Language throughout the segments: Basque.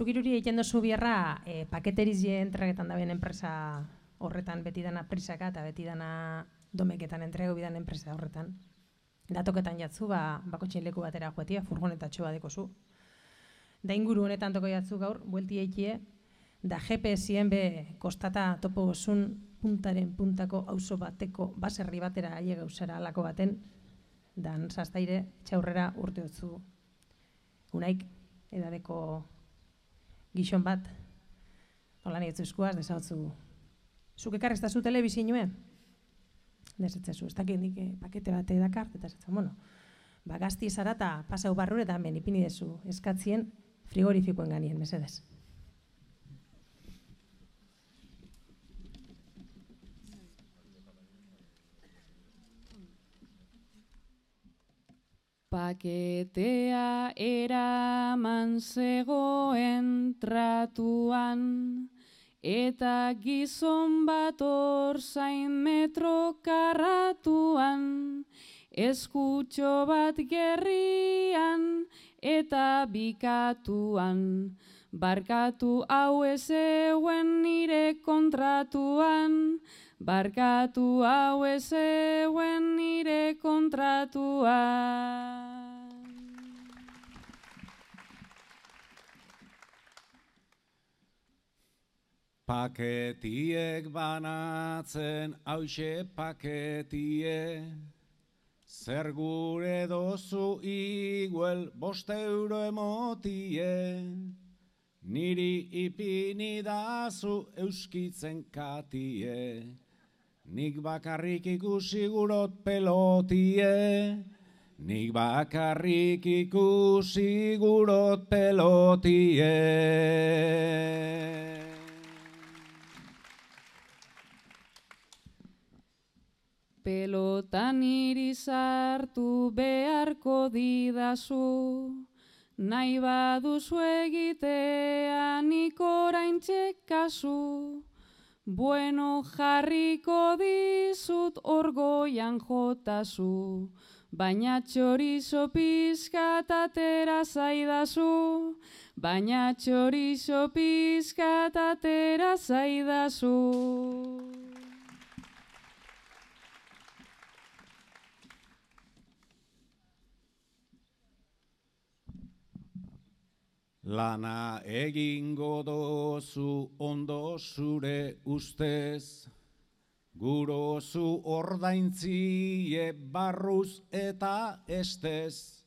Zugiruri egiten dozu bierra, paketerizie entregetan da ben enpresa horretan, beti dana prisaka eta beti dana domeketan entrego bidan enpresa horretan. Datoketan jatzu, bakotxin leku batera joetia, furgonetatxo bat dekozu. Da inguru honetan toko jatzu gaur, buelti eikie, da GPS-ien be kostata topo gozun puntaren puntako auzo bateko baserri batera aile gauzara alako baten, dan zaztaire txaurrera urte hotzu. Unaik edadeko gixon bat, hola nietzu eskuaz, desahotzu. Zuk ekarreztazu telebizinue? Desetzezu, ez dakit nik pakete bate dakart, eta esatzen, bueno, gazti zara eta pasau barrure eta hemen ipini dezu eskatzien frigorifikoen ganien, mesedez. Paketea eraman zegoen tratuan, eta gizon bat orzain metro karratuan, eskutxo bat gerrian eta bikatuan. Barkatu hau ez euen nire kontratuan, barkatu hau ez euen nire kontratuan. Paketiek banatzen hauxe paketie, zer gure dozu iguel 5 euro emotie, niri ipini dazu euskitzen katie, nik bakarrik ikusi gurot pelotie, nik bakarrik ikusi gurot pelotie. Pelotan niri sartu beharko didazu, nahi baduzu egitea nik oraintxe kasu. Bueno jarriko dizut orgoian jotazu, baina txorizo pizkat atera zaidazu, baina txorizo pizkat atera zaidazu. Lana egingo dozu ondo zure ustez, gurozu ordaintzie barruz eta estez,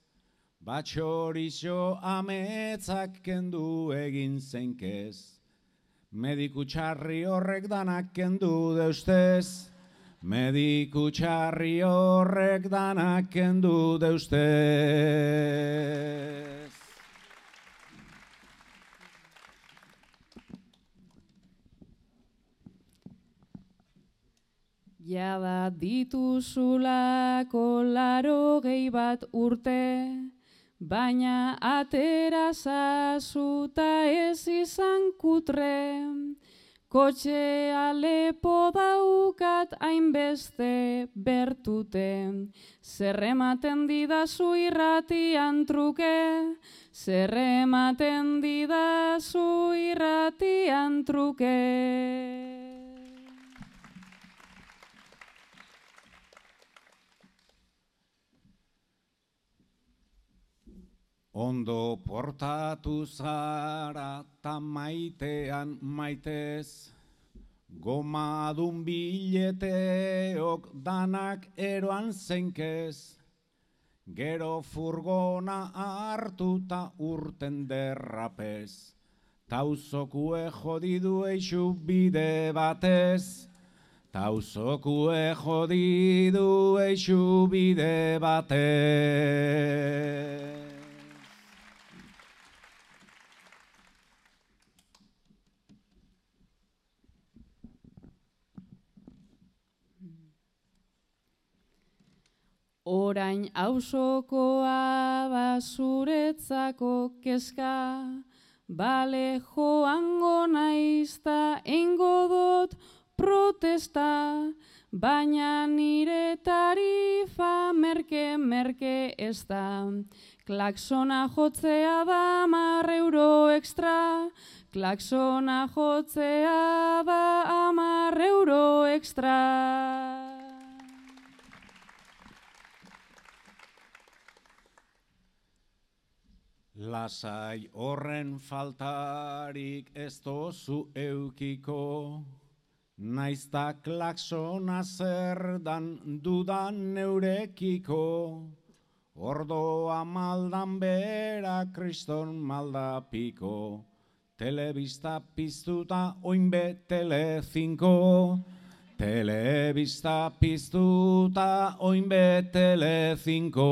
batxorixo ametzak kendu egin zeinkez, mediku txarri horrek danak kendu deustez, mediku txarri horrek danak kendu deustez. Jada dituzulako 80 urte, baina atera zazu ta ez izan kutre. Kotxea lepo daukat hainbeste bertute, zer ematen didazu irratian truke, zer ematen didazu irratian truke. Ondo portatu zara ta maitean maitez, gomadun bileteok danak eroan zeinkez, gero furgona hartuta urten derrapez, tauzokue jodidu eixu bide batez, tauzokue jodidu eixu bide batez. Orain auzokoa da zuretzako kezka, bale joango naizta eingo dut protesta, baina nire tarifa merke ez da. Klaksona jotzea da 10 euro extra, klaksona jotzea da 10 euro extra. Lasai horren faltarik ez dozu eukiko, naizta klaksona zer dan dudan neurekiko, ordoa maldan bera kriston maldapiko, telebista piztuta oinbe Telecinco, telebista piztuta oinbe Telecinco.